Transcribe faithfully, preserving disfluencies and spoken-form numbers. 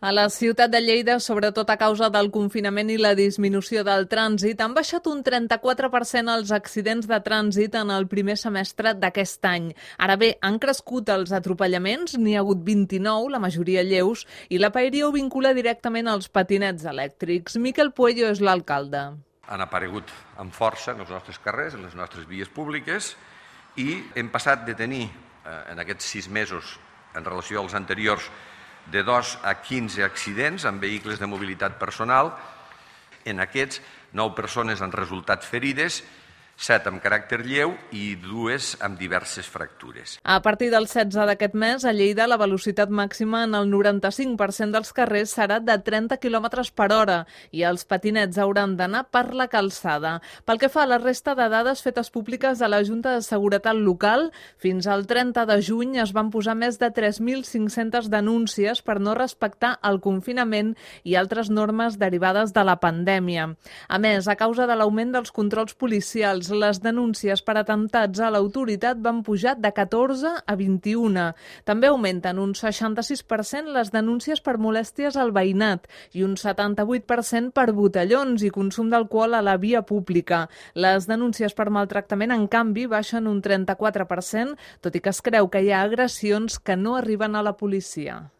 A la ciutat de Lleida, sobretot a causa del confinament i la disminució del trànsit, han baixat un trenta-quatre per cent els accidents de trànsit en el primer semestre d'aquest any. Ara bé, han crescut els atropellaments, n'hi ha hagut vint-i-nou, la majoria lleus, i la Paeria ho vincula directament als patinets elèctrics. Miquel Puello és l'alcalde. Han aparegut amb força en els nostres carrers, en les nostres vies públiques, i hem passat de tenir, en aquests sis mesos, en relació als anteriors, de dos a quinze accidents amb vehicles de mobilitat personal. En aquests, nou persones han resultat ferides, set amb caràcter lleu i dues amb diverses fractures. A partir del setze d'aquest mes, a Lleida, la velocitat màxima en el noranta-cinc per cent dels carrers serà de trenta quilòmetres per hora i els patinets hauran d'anar per la calçada. Pel que fa a la resta de dades fetes públiques a la Junta de Seguretat Local, fins al trenta de juny es van posar més de tres mil cinc-centes denúncies per no respectar el confinament i altres normes derivades de la pandèmia. A més, a causa de l'augment dels controls policials, les denúncies per atemptats a l'autoritat van pujar de catorze a vint-i-un. També augmenten un seixanta-sis per cent les denúncies per molèsties al veïnat i un setanta-vuit per cent per botellons i consum d'alcohol a la via pública. Les denúncies per maltractament, en canvi, baixen un trenta-quatre per cent, tot i que es creu que hi ha agressions que no arriben a la policia.